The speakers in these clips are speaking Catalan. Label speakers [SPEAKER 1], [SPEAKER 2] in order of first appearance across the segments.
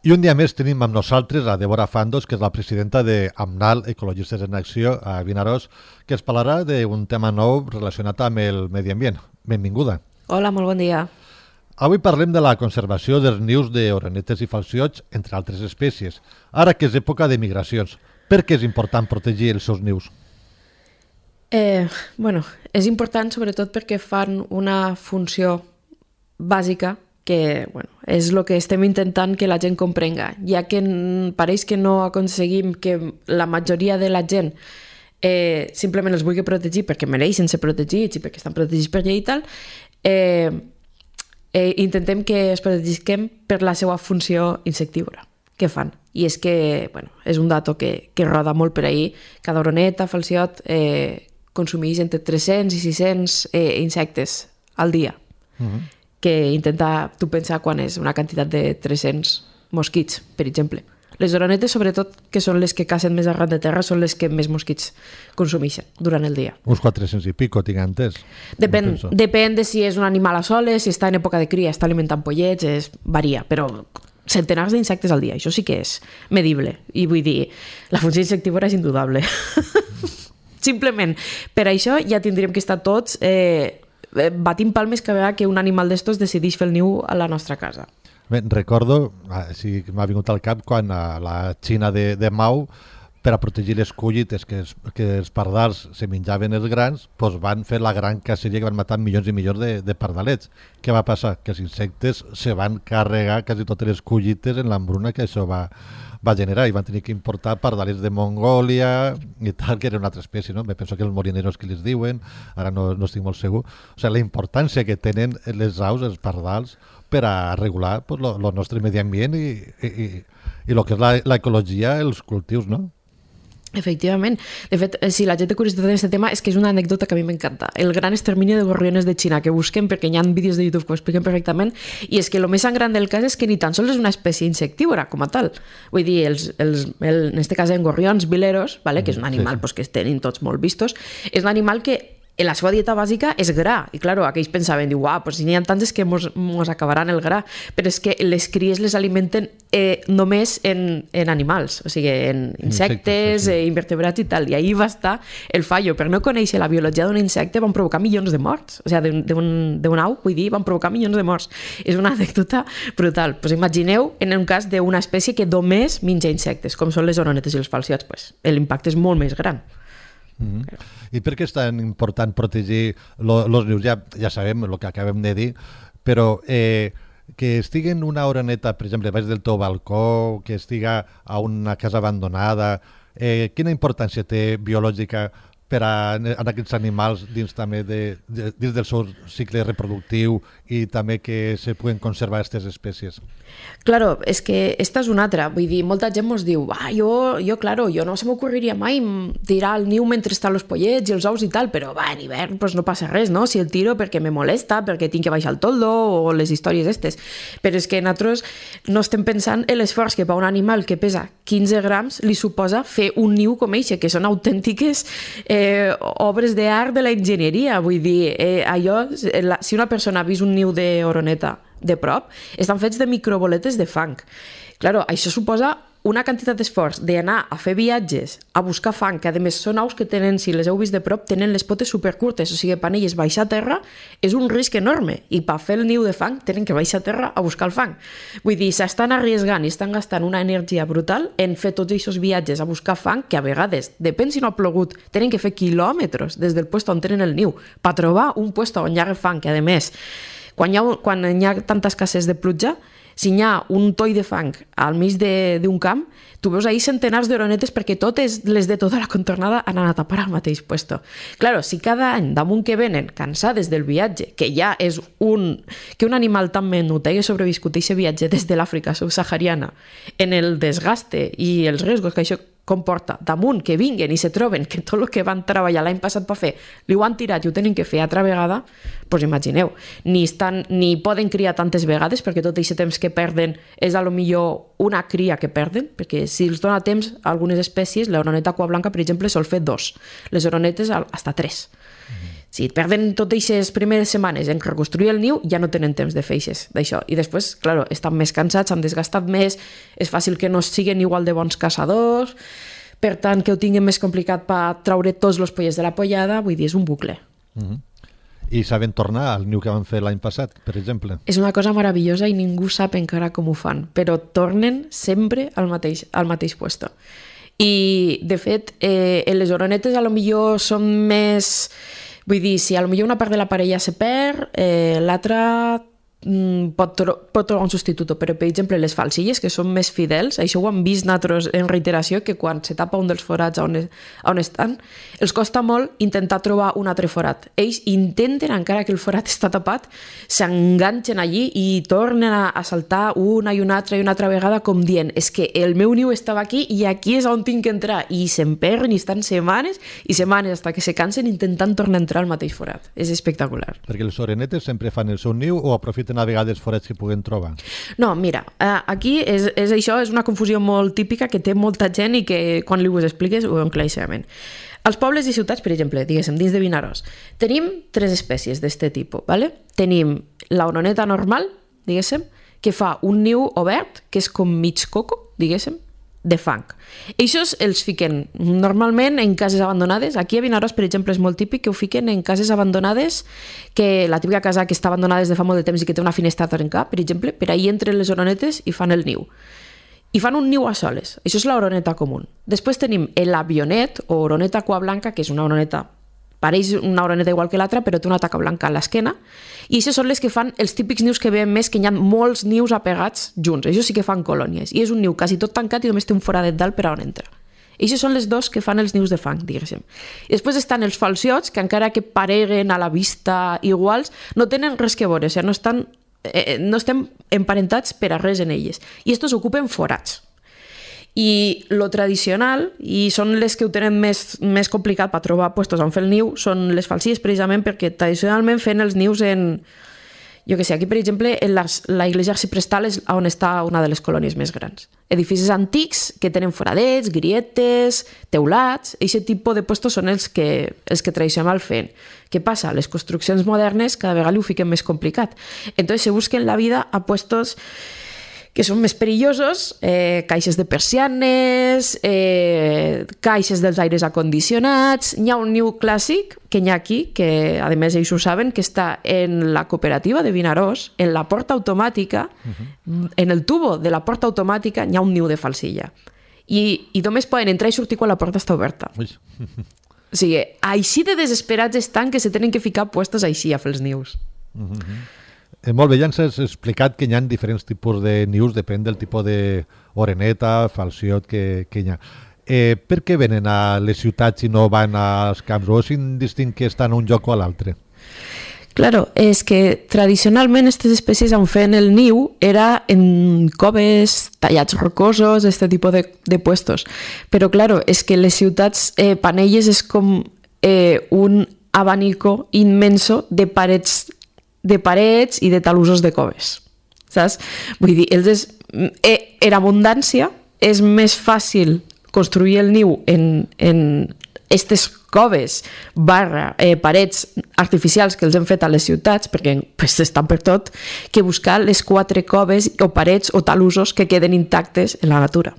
[SPEAKER 1] I un dia més tenim amb nosaltres a Débora Fandos, que és la presidenta de AMNAL, Ecologistes en Acció, a Vinaròs, que es parlarà d'un tema nou relacionat amb el medi ambient. Benvinguda.
[SPEAKER 2] Hola, molt bon dia.
[SPEAKER 1] Avui parlem de la conservació dels nius d'orenetes i falciots, entre altres espècies, ara que és època de migracions. Per què és important protegir els seus nius?
[SPEAKER 2] És important sobretot perquè fan una funció bàsica que és el que estem intentant que la gent comprenga, ja que pareix que no aconseguim que la majoria de la gent simplement els vulgui protegir perquè mereixen ser protegits i perquè estan protegits per llei i tal, intentem que es protegisquem per la seva funció insectívora que fan. I és que és un dato que roda molt per ahir. Cada oroneta, falciot, consumeix entre 300 i 600 insectes al dia. Que intenta tu pensar quan és una quantitat de 300 mosquits, per exemple. Les oronetes, sobretot, que són les que cacen més arran de terra, són les que més mosquits consumeixen durant el dia.
[SPEAKER 1] Uns 400 i pico, tinc entès.
[SPEAKER 2] Depèn de si és un animal a soles, si està en època de cria, està alimentant pollets, varia, però centenars d'insectes al dia, això sí que és medible. I vull dir, la funció insectívora és indudable. Simplement, per això ja tindríem que estar tots batint palmes cada vegada que un animal d'estos decideix fer el niu a la nostra casa.
[SPEAKER 1] Bé, recordo, sí, m'ha vingut al cap quan a la Xina de Mao, per a protegir les collites que els pardals se menjaven els grans, doncs van fer la gran caceria que van matar milions i milions de pardalets. Què va passar? Que els insectes se van carregar quasi totes les collites en l'hambruna que això va generar i van tenir que importar pardalets de Mongòlia i tal, que era una altra espècie, no? Me penso que els morineros que les diuen, ara no estic molt segur. O sigui, la importància que tenen les aus, els pardals, per a regular el nostre medi ambient i el que és l'ecologia, els cultius, no?
[SPEAKER 2] Efectivament. De fet, si la gent té curiositat en aquest tema, és que és una anècdota que a mi m'encanta. El gran extermini de gorriones de Xina, que busquen perquè hi ha vídeos de YouTube que ho expliquen perfectament, i és que el més gran del cas és que ni tan sols és una espècie insectívora com a tal. Vull dir, en aquest cas en gorrions vileros, vale, que és un animal que tenen tots molt vistos, és un animal que la seva dieta bàsica és gra, i clar, aquells pensaven, si n'hi ha tants és que mos acabaran el gra, però és que les cries les alimenten només en animals, o sigui, en insectes, invertebrats i tal, i ahir va estar el fallo. Per no conèixer la biologia d'un insecte van provocar milions de morts, o sigui, d'un au, vull dir, van provocar milions de morts. És una anècdota brutal. Pues imagineu en un cas d'una espècie que només menja insectes, com són les oronetes i els falciots, pues l'impacte és molt més gran.
[SPEAKER 1] I per què és tan important protegir els nius? Ja sabem el que acabem de dir, però que estiguen una oreneta, per exemple, baix del teu balcó, que estiga a una casa abandonada, quina importància té biològica per a aquests animals dins també dins del seu cicle reproductiu i també que se puguen conservar aquestes espècies?
[SPEAKER 2] Claro, és que esta és una altra. Vull dir, molta gent mos diu jo no se m'ocorreria mai tirar el niu mentre estan els pollets i els ous i tal, però en hivern no passa res, no? Si el tiro perquè me molesta, perquè tinc que baixar el toldo o les històries estes. Però és que nosaltres no estem pensant en l'esforç que per un animal que pesa 15 grams li suposa fer un niu com eixe, que són autèntiques obres d'art de la enginyeria. Vull dir, si una persona ha vist un niu d'oroneta de prop, estan fets de microboletes de fang. Claro, això suposa una quantitat d'esforç d'anar a fer viatges, a buscar fang, que a més són aus que tenen, si les heu vist de prop, tenen les potes supercurtes, o sigui, per elles baixar a terra és un risc enorme, i per fer el niu de fang tenen que baixar a terra a buscar el fang. Vull dir, s'estan arriesgant i estan gastant una energia brutal en fer tots aquests viatges a buscar fang, que a vegades, depèn si no ha plogut, tenen que fer quilòmetres des del lloc on tenen el niu, per trobar un lloc on hi ha fang, que a més, quan hi ha tanta escasses de pluja, si hi ha un toll de fang al mig d'un camp, tu veus ahir centenars d'oronetes perquè totes les de tota la contornada han anat a parar al mateix puesto. Claro, si cada any damunt que venen cansades del viatge, que ja és que un animal tan menut hagi sobreviscut aquest viatge des de l'Àfrica subsahariana, en el desgaste i els riscos que això comporta damunt que vinguen i se troben que tot el que van treballar l'any passat per fer li ho han tirat i ho tenen que fer altra vegada, doncs imagineu, ni poden criar tantes vegades perquè tot aquest temps que perden és a lo millor una cria que perden, perquè si els dona temps a algunes espècies, l'oroneta cua blanca, per exemple, sol fer 2, les oronetes hasta 3. Si et perden totes aquestes primeres setmanes en reconstruir el niu, ja no tenen temps de fer d'això. I després, clar, estan més cansats, s'han desgastat més, és fàcil que no siguin igual de bons caçadors, per tant, que ho tinguin més complicat per treure tots els pollets de la pollada, vull dir, és un bucle.
[SPEAKER 1] I saben tornar al niu que van fer l'any passat, per exemple?
[SPEAKER 2] És una cosa meravellosa i ningú sap encara com ho fan, però tornen sempre al mateix puesto. I, de fet, les oronetes a lo millor són més... Vull dir, si a lo millor una part de la parella se perd, l'altra pot trobar un substitut, però per exemple les falsilles, que són més fidels, això ho hem vist nosaltres en reiteració, que quan se tapa un dels forats on estan, els costa molt intentar trobar un altre forat. Ells intenten, encara que el forat està tapat, s'enganxen allí i tornen a saltar una i una altra vegada com dient, és que el meu niu estava aquí i aquí és on tinc que entrar, i se'n perden i estan setmanes i setmanes fins que se cansen intentant tornar a entrar al mateix forat. És espectacular.
[SPEAKER 1] Perquè les orenetes sempre fan el seu niu o aprofiten a vegades forats que puguen trobar?
[SPEAKER 2] No, mira, aquí és això, és una confusió molt típica que té molta gent i que quan li ho expliques ho veuen claríssimament. Als pobles i ciutats, per exemple, diguéssim, dins de Vinaròs, tenim 3 espècies d'aquest tipus, ¿vale? Tenim la oroneta normal, diguéssim, que fa un niu obert, que és com mig coco, diguéssim, de fang. Eixos els fiquen normalment en cases abandonades. Aquí a Vinaròs, per exemple, és molt típic que ho fiquen en cases abandonades, que la típica casa que està abandonada des de fa molt de temps i que té una finestra a trencar, per exemple, per ahir entren les oronetes i fan el niu. I fan un niu a soles. Això és l'oroneta comú. Després tenim l'avionet o oroneta cua blanca, que és una oroneta, pareix una oroneta igual que l'altra, però té una taca blanca a l'esquena, i aquestes són les que fan els típics nius que veiem més, que hi ha molts nius apegats junts. Això sí que fan colònies, i és un niu quasi tot tancat i només té un foradet dalt per on entra. Aquestes són les dos que fan els nius de fang, diguéssim. I després estan els falciots, que encara que pareguen a la vista iguals, no tenen res que veure, o sigui, no estem emparentats per a res en elles. I estos ocupen forats. I lo tradicional, i són les que ho tenen més complicat per trobar puestos on fer el niu, són les falsilles, precisament perquè tradicionalment feien els nius en... Jo què sé, aquí, per exemple, en la iglesia arciprestal és on està una de les colònies més grans. Edificis antics que tenen foradets, grietes, teulats, aquest tipus de puestos són els que tradicional feien. Què passa? Les construccions modernes cada vegada ho fiquen més complicat. Entonces se busquen la vida a puestos que són més perillosos, caixes de persianes, caixes dels aires acondicionats. Hi ha un niu clàssic que hi ha aquí, que a més ells ho saben, que està en la cooperativa de Vinaròs, en la porta automàtica, en el tubo de la porta automàtica hi ha un niu de falsilla. I només poden entrar i sortir quan la porta està oberta. O sigui, així de desesperats estan que se tenen que ficar puestos així a fer els nius.
[SPEAKER 1] Molt bé, ja ens has explicat que hi ha diferents tipus de nius, depèn del tipus d'oreneta, falciot que hi ha. Per què venen a les ciutats i no van als camps? O és indistint que estan a un lloc o a l'altre?
[SPEAKER 2] Claro, és que tradicionalment aquestes espècies on feien el niu era en coves, tallats rocosos, aquest tipus de puestos. Però claro, és que les ciutats, Panelles és com un abanico immenso de parets i de talussos de coves, saps? Vull dir, en abundància és més fàcil construir el niu en aquestes coves parets artificials que els hem fet a les ciutats, perquè estan per tot, que buscar les 4 coves o parets o talussos que queden intactes en la natura.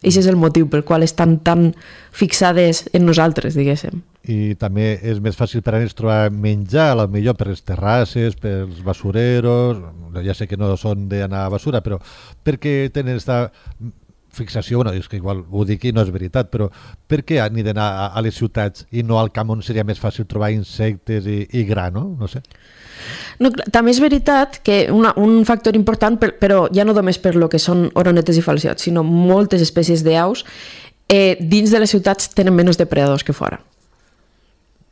[SPEAKER 2] Aquest és el motiu pel qual estan tan fixades en nosaltres, diguéssim.
[SPEAKER 1] I també és més fàcil per a ells trobar menjar, potser per les terrasses, pels basureros, ja sé que no són d'anar a basura, però perquè tenen aquesta fixació, és que igual ho dic i no és veritat, però per què han d'anar a les ciutats i no al camp on seria més fàcil trobar insectes i gra, no? No sé.
[SPEAKER 2] No, també és veritat que un factor important, però ja no només per lo que són oronetes i falciots, sinó moltes espècies d'aus, dins de les ciutats tenen menys depredadors que fora.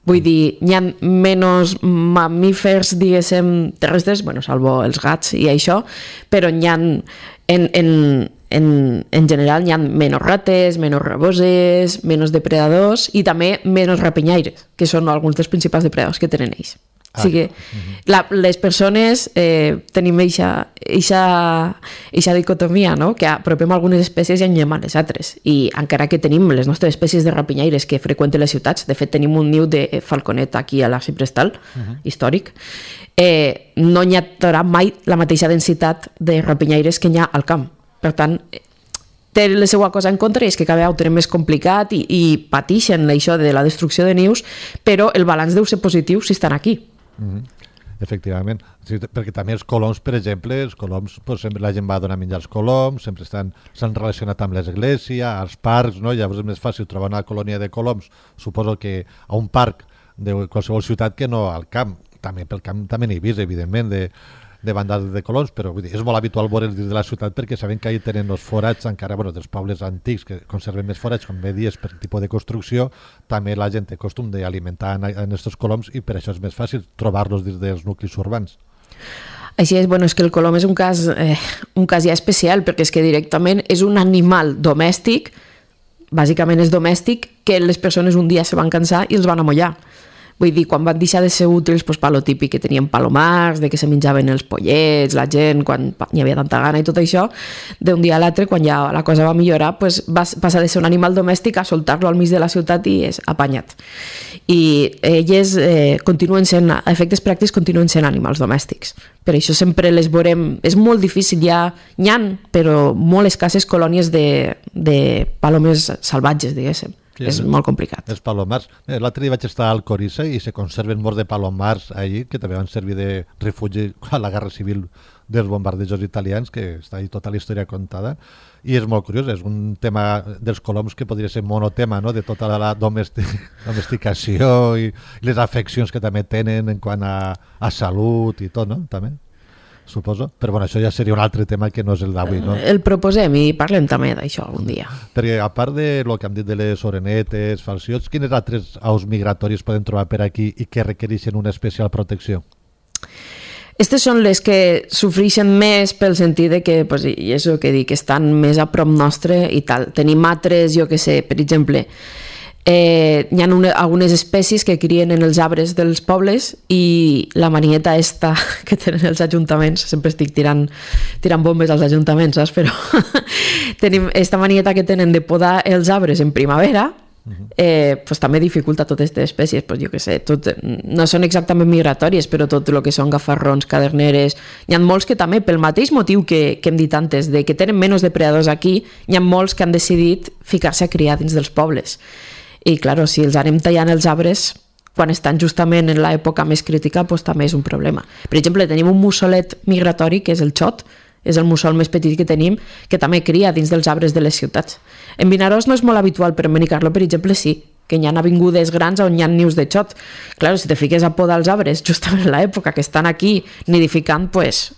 [SPEAKER 2] Vull dir, hi ha menys mamífers, diguéssim, terrestres, salvo els gats i això, però hi ha, en general, hi ha menys rates, menys raboses, menys depredadors i també menys rapinyaires, que són alguns dels principals depredadors que tenen ells. O sigui, les persones tenim eixa dicotomia, no? Que apropem algunes espècies i engem a les altres. I encara que tenim les nostres espècies de rapinyaires que freqüenten les ciutats, de fet tenim un niu de falconet aquí a l'Arc Prestal, històric, no hi haurà mai la mateixa densitat de rapinyaires que hi ha al camp. Per tant, té la seva cosa en contra i és que cada vegada ho tenen més complicat i pateixen això de la destrucció de nius, però el balanç deu ser positiu si estan aquí.
[SPEAKER 1] Efectivament, sí, perquè també els coloms, per exemple, els coloms, pues, sempre la gent va donar menjar als coloms, sempre s'han relacionat amb l'església, als parcs, no? Llavors és més fàcil trobar una colònia de coloms, suposo que a un parc de qualsevol ciutat que no al camp. També pel camp també n'he vist, evidentment, de bandades de coloms, però vull dir, és molt habitual veure'ls dins de la ciutat perquè sabem que ahí tenen els forats encara, bueno, dels pobles antics que conserven més forats, com bé dies, per tipus de construcció, també la gent té costum d'alimentar en aquests coloms i per això és més fàcil trobar-los dins dels nuclis urbans.
[SPEAKER 2] Així és, bueno, és que el colom és un cas ja especial, perquè és que directament és un animal domèstic, bàsicament és domèstic, que les persones un dia se van cansar i els van amollar. Vull dir, quan van deixar de ser útils, doncs, per lo típic que tenien palomars, de que se menjaven els pollets, la gent, quan hi havia tanta gana i tot això, d'un dia a l'altre, quan ja la cosa va millorar, doncs, va passar de ser un animal domèstic a soltar-lo al mig de la ciutat i és apanyat. I elles continuen sent, a efectes pràctics, continuen sent animals domèstics. Per això sempre les veurem, és molt difícil, n'hi ha, però molt escasses colònies de palomes salvatges, diguéssim. Sí, és molt complicat.
[SPEAKER 1] Els palomars. L'altre dia vaig estar al Corissa i se conserven molts de palomars allí, que també van servir de refugi a la Guerra Civil dels bombardejos italians, que està ahí tota la història contada. I és molt curiós, és un tema dels coloms que podria ser monotema, no? De tota la domesticació i les afeccions que també tenen en quant a salut i tot, no? També. Suposo, però bueno, això ja seria un altre tema que no és el d'avui, no?
[SPEAKER 2] El proposem i parlem també d'això algun dia.
[SPEAKER 1] Perquè a part de lo que hem dit de les orenetes, falciots, quines altres aus migratoris podem trobar per aquí i que requereixen una especial protecció?
[SPEAKER 2] Aquestes són les que sofreixen més pel sentit de que, pues, i és el que dic, estan més a prop nostre i tal. Tenim altres, jo que sé, per exemple, hi ha algunes espècies que crien en els arbres dels pobles i la manieta esta que tenen els ajuntaments, sempre estic tirant bombes als ajuntaments, saps? Però tenim esta manieta que tenen de podar els arbres en primavera, pues també dificulta totes aquestes espècies, pues jo que sé, no són exactament migratòries, però tot el que són gafarrons, caderneres, hi ha molts que també, pel mateix motiu que hem dit antes, de que tenen menys depredadors aquí, hi ha molts que han decidit ficar-se a criar dins dels pobles. I, clar, si els anem tallant els arbres quan estan justament en l'època més crítica, doncs també és un problema. Per exemple, tenim un mussolet migratori, que és el xot, és el mussol més petit que tenim, que també cria dins dels arbres de les ciutats. En Vinaròs no és molt habitual, però en Benicarló, per exemple, sí, que hi ha avingudes grans on hi ha nius de xot. Clar, si te fiques a podar els arbres justament en l'època que estan aquí nidificant, doncs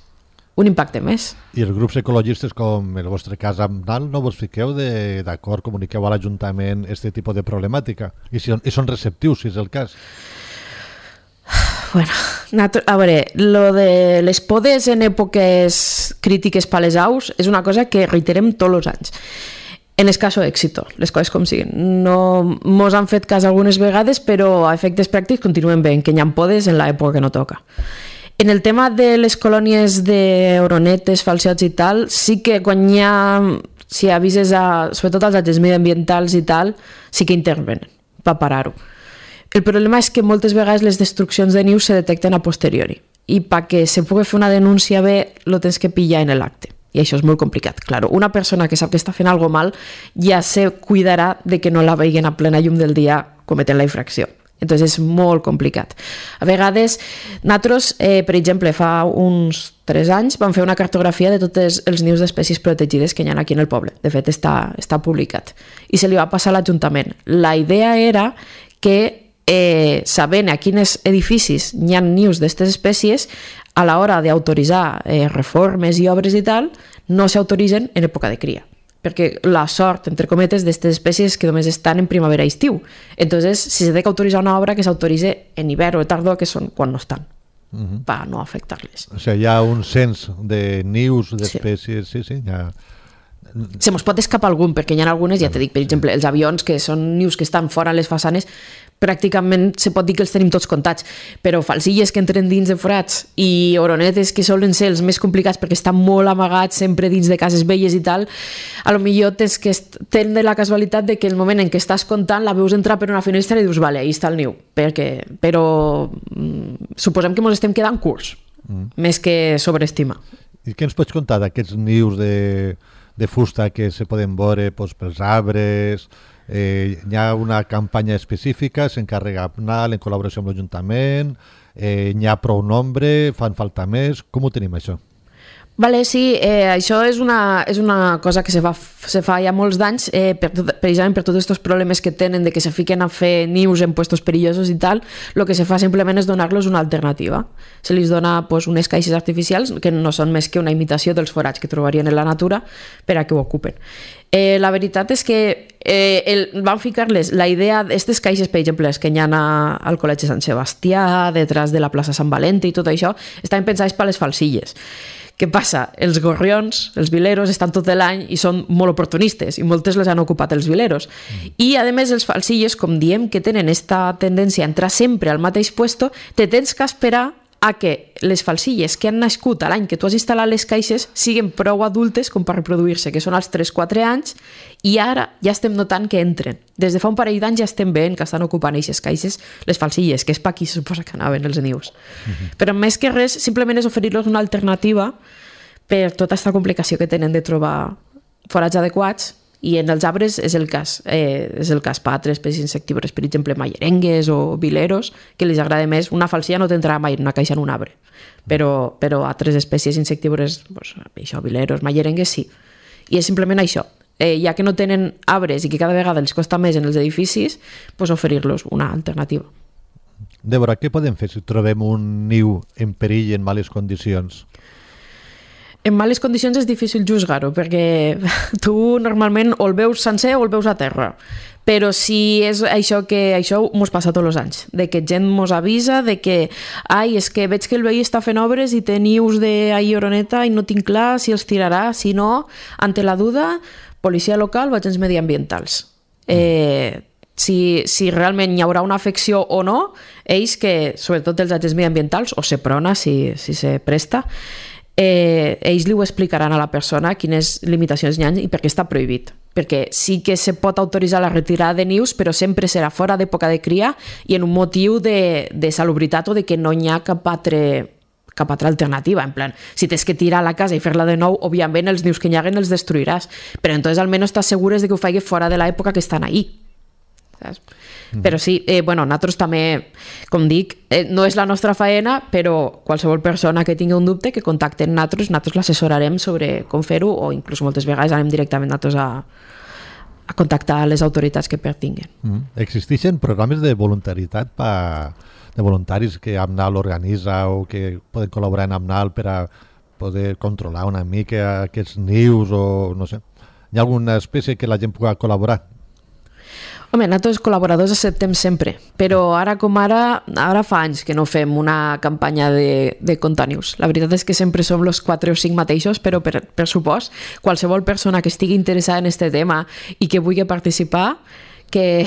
[SPEAKER 2] un impacte més.
[SPEAKER 1] I els grups ecologistes, com el vostre cas amb Nal, no vos fiqueu d'acord, comuniqueu a l'Ajuntament aquest tipus de problemàtica? I són receptius, si és el cas?
[SPEAKER 2] Bueno, a veure, lo de les podes en èpoques crítiques per les aus és una cosa que reiterem tots els anys. En escaso èxito, les coses com siguin. No mos han fet cas algunes vegades, però a efectes pràctics continuen veient que hi ha podes en l'època que no toca. En el tema de les colònies d'oronetes, falciots i tal, sí que quan hi ha, si avises sobretot als agents mediambientals i tal, sí que intervenen per parar-ho. El problema és que moltes vegades les destruccions de nius se detecten a posteriori i perquè se pugui fer una denúncia bé lo tens que pillar en l'acte. I això és molt complicat. Claro, una persona que sap que està fent alguna mal ja se cuidarà de que no la veien a plena llum del dia cometent la infracció. Entonces és molt complicat. A vegades, nosaltres, per exemple, fa uns 3 anys vam fer una cartografia de tots els nius d'espècies protegides que hi ha aquí en el poble. De fet, està publicat. I se li va passar a l'Ajuntament. La idea era que, sabent a quins edificis hi ha nius d'aquestes espècies, a l'hora d'autoritzar reformes i obres i tal, no s'autoritzen en època de cria. Perquè la sort, entre cometes, d'aquestes espècies que només estan en primavera i estiu. Entonces, si s'ha d'autoritzar una obra, que s'autoritze en hivern o tardor, que són quan no estan, per no afectar-les.
[SPEAKER 1] O sigui, hi ha un cens de nius d'espècies, sí, hi ha
[SPEAKER 2] Se mos pot escapar algun, perquè hi ha algunes, ja t'he dit, per exemple, els avions, que són nius que estan fora a les façanes, pràcticament se pot dir que els tenim tots comptats, però falsilles que entren dins de forats i oronetes que solen ser els més complicats perquè estan molt amagats sempre dins de cases velles i tal, a lo millor tens la casualitat de que el moment en què estàs comptant la veus entrar per una finestra i dius, vale, ahí està el niu, però suposem que ens estem quedant curts, més que sobreestima.
[SPEAKER 1] I què ens pots contar d'aquests nius de fusta que se poden veure pels arbres? Hi ha una campanya específica, s'encarrega APNAL en col·laboració amb l'Ajuntament, n'hi ha prou nombre, fan falta més, com ho tenim això?
[SPEAKER 2] Vale, sí, això és una cosa que se fa ja molts d'anys, precisament per tots aquests problemes que tenen de que se fiquen a fer nius en puestos perillosos i tal, el que se fa simplement és donar-los una alternativa. Se li dona unes caixes artificials que no són més que una imitació dels forats que trobarien en la natura per a que ho ocupen. La veritat és que van ficar-les la idea d'aquestes caixes, per exemple, les que hi ha al Col·legi Sant Sebastià, detrás de la plaça Sant Valente i tot això, estaven pensades per les falsilles. Què passa? Els gorrions, els vileros, estan tot l'any i són molt oportunistes i moltes les han ocupat els vileros. I, a més, els falsilles, com diem que tenen esta tendència a entrar sempre al mateix puesto, te tens que esperar a que les falsilles que han nascut a l'any que tu has instal·lat les caixes siguin prou adultes com per reproduir-se, que són als 3-4 anys, i ara ja estem notant que entren. Des de fa un parell d'anys ja estem veient que estan ocupant aquestes caixes les falsilles, que és per aquí se suposa que anaven els nius. Però més que res, simplement és oferir-los una alternativa per tota aquesta complicació que tenen de trobar forats adequats. I en els arbres és el cas per altres espècies insectívores, per exemple, mallerengues o vileros, que els agrada més. Una falsilla no t'entrarà mai en una caixa en un arbre, però altres espècies insectívores, això, vileros, mallerengues, sí. I és simplement això. Ja que no tenen arbres i que cada vegada els costa més en els edificis, oferir-los una alternativa.
[SPEAKER 1] Débora, què podem fer si trobem un niu en perill i en males condicions?
[SPEAKER 2] En males condicions és difícil juzgar-ho, perquè tu normalment o el veus sencer o el veus a terra. Però si és això que això mos passa tots els anys, de que gent mos avisa de que és que veig que el veí està fent obres i té nius d'oroneta i no tinc clar si els tirarà, si no, ante la duda, policia local o agents mediambientals. Si realment hi haurà una afecció o no, ells que, sobretot els agents mediambientals, o Seprona, si se presta, ells li ho explicaran a la persona quines limitacions hi ha i per què està prohibit. Perquè sí que se pot autoritzar la retirada de nius, però sempre serà fora d'època de cria i en un motiu de salubritat o de que no hi ha cap altra alternativa. En plan, si tens que tirar a la casa i fer-la de nou, òbviament els nius que hi haguen els destruiràs, però entonces almenys estàs segures de que ho faig fora de l'època que estan ahí. Saps? Però sí, nosaltres també, com dic, no és la nostra faena, però qualsevol persona que tingui un dubte que contacti amb nosaltres l'assessorarem sobre com fer-ho, o inclús moltes vegades anem directament nosaltres a contactar les autoritats que pertinguen.
[SPEAKER 1] Existeixen programes de voluntaritat de voluntaris que APNAL organitza o que poden col·laborar amb APNAL per a poder controlar una mica aquests nius o no sé. Hi ha alguna espècie que la gent pugui col·laborar?
[SPEAKER 2] Home, nosaltres col·laboradors acceptem sempre, però ara fa anys que no fem una campanya de comptar nius. La veritat és que sempre som els 4 o 5 mateixos, però per supost, qualsevol persona que estigui interessada en aquest tema i que vulgui participar, que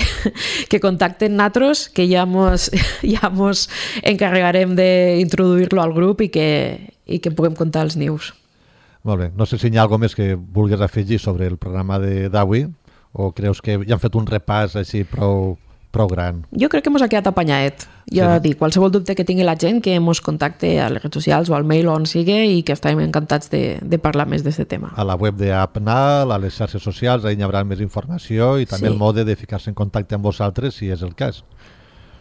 [SPEAKER 2] contacten nosaltres, que ja mos encarregarem d'introduir-lo al grup i que puguem comptar els nius.
[SPEAKER 1] Molt bé. No sé si hi ha alguna més que vulguis afegir sobre el programa d'avui, o creus que ja han fet un repàs així prou gran?
[SPEAKER 2] Jo crec que ens ha quedat apanyadet. Ja dic, qualsevol dubte que tingui la gent que ens contacte a les redes socials o al mail o on sigui i que estarem encantats de parlar més d'aquest tema.
[SPEAKER 1] A la web d'APNAL, a les xarxes socials, ahí hi haurà més informació i també el mode de ficar-se en contacte amb vosaltres si és el cas.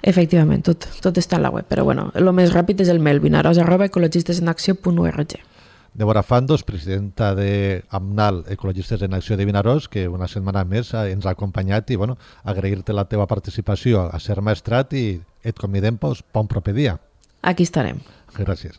[SPEAKER 2] Efectivament, tot està en la web, però bueno, el més ràpid és el mail vinaròs@ecologistesenacció.org.
[SPEAKER 1] Débora Fandos, presidenta d'APNAL Ecologistes en Acció de Vinaròs, que una setmana més ens ha acompanyat i agrair-te la teva participació a Ser Maestrat i et convidem per un proper dia.
[SPEAKER 2] Aquí estarem.
[SPEAKER 1] Gràcies.